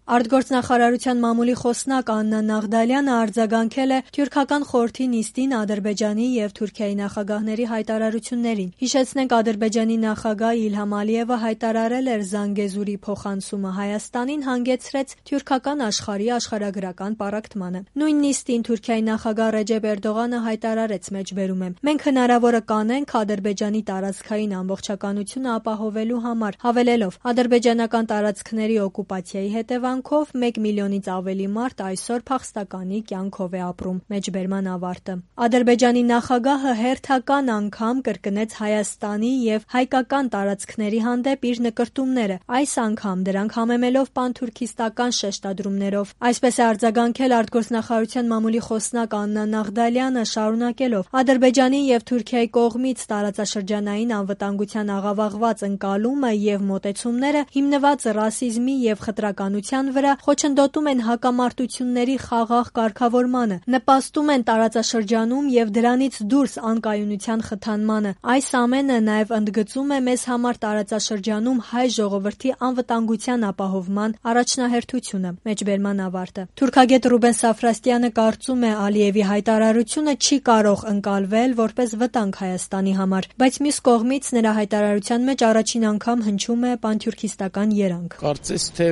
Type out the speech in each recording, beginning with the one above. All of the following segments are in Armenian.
Արտգործնախարարության մամուլի խոսնակ Աննա Նաղդալյանը արձագանքել է Թյուրքական խորհրդի նիստին Ադրբեջանի եւ Թուրքիայի նախագահների հայտարարություններին։ Հիշեցնենք, Ադրբեջանի նախագահ Իլհամ Ալիևը հայտարարել էր Զանգեզուրի փոխանցումը Հայաստանին հանգեցրեց թյուրքական աշխարհի աշխարհագրական պառակտմանը։ Նույն նիստին Թուրքիայի նախագահ Ռեջեփ Էրդողանը հայտարարեց մեջբերում է. «Մենք հնարավորը կանենք Ադրբեջանի տարածքային ամբողջականությունը ապահովելու համար», հավելելով. «Ադրբեջանական տարածքների օկուպացիայի հետևանքով 1 միլիոնից ավելի մարդ այսօր փախստականի կյանքով է ապրում»։ Մեջբերման ավարտը։ Ադրբեջանի նախագահը հերթական անգամ կրկնեց Հայաստանի եւ հայկական տարածքների հանդեպ իր նկրտումները, այս անգամ դրանք համեմելով պանթուրքիստական շեշտադրումներով։ Այսպես է արձագանքել արտգործնախարարության մամուլի խոսնակ Աննա Նաղդալյանը, շարունակելով. «Ադրբեջանի եւ Թուրքիայի կողմից տարածաշրջանային անվտանգության աղավաղված ընկալումը եւ մոտեցումները հիմնված ռասիզմի եւ խտրականության վրա խոչընդոտում են հակամարտությունների խաղաղ կարգավորմանը, նպաստում են տարածաշրջանում եւ դրանից դուրս անկայունության խթանմանը։ Այս ամենը նաեւ ընդգծում է մեզ համար տարածաշրջանում հայ ժողովրդի անվտանգության ապահովման առաջնահերթությունը»։ Մեջբերման ավարտը։ Թուրքագետ Ռուբեն Սաֆրաստյանը կարծում է, Ալիևի հայտարարությունը չի կարող ընկալվել որպես վտանգ Հայաստանի համար, բայց մյուս կողմից նրա հայտարարության մեջ առաջին անգամ հնչում է պանթուրքիստական երանգ։ Կարծես թե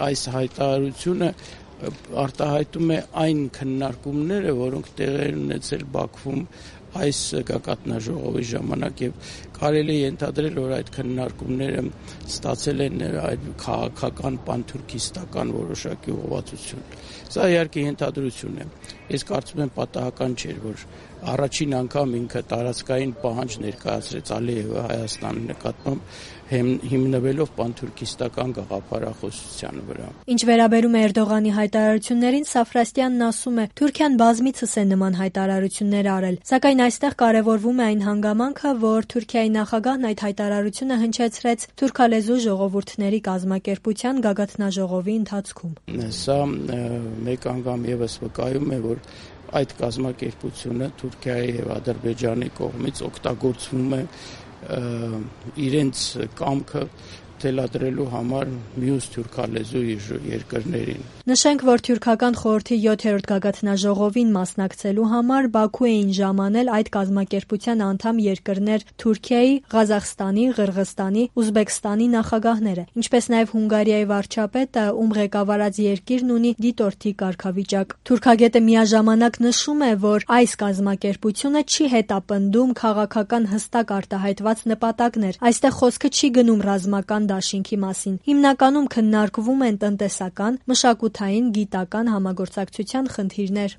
այս հայտարարությունը արտահայտում է այն քննարկումները, որոնք տեղի են ունեցել Բաքվում այս գագաթնաժողովի ժամանակ, եւ կարելի է ենթադրել, որ այդ քննարկումները ստացել են քաղաքական պանթուրքիստական որոշակի ուղղվածություն։ Սա իհարկե ենթադրություն է։ Ես կարծում եմ պատահական չէր, որ առաջին անգամ ինքը տարածքային պահանջ ներկայացրեց Ալիևը Հայաստանի նկատմամբ հիմնվելով պանթուրքիստական գաղափարախոսության վրա։ Ինչ վերաբերում է Էրդողանի հայտարարություններին, Սաֆրաստյանն ասում է. «Թուրքիան բազմիցս է նման հայտարարություններ արել, սակայն այստեղ կարևորվում է այն հանգամանքը, որ Թուրքիայի նախագահն այդ հայտարարությունը հնչեցրեց թուրքալեզու ժողովուրդների կազմակերպության գագաթնաժողովի ընթացքում»։ Սա մեկ անգամ եւս վկայում է, որ այդ կազմակերպությունը Թուրքիայի եւ Ադրբեջանի կողմից օգտագործվում է իրենց կամքը թելադրելու համար մյուս թուրքալեզու երկրներին։ Նշենք, որ Թյուրքական խորհրդի 7-րդ գագաթնաժողովին մասնակցելու համար Բաքու էին ժամանել այդ կազմակերպության անդամ երկրներ Թուրքիայի, Ղազախստանի, Ղրղստանի, Ուզբեկստանի նախագահները, ինչպես նաև Հունգարիայի վարչապետը, ում ղեկավարած երկիրն ունի դիտորդի կարգավիճակ։ Թուրքագետը միաժամանակ նշում է, որ այս կազմակերպությունը չի հետապնդում քաղաքական հստակ արտահայտված նպատակներ։ Այստեղ խոսքը չի գնում ռազմական դաշինքի մասին։ Հիմնականում քննարկվում են տնտեսական, մշակութային, գիտական համագործակցության խնդիրներ։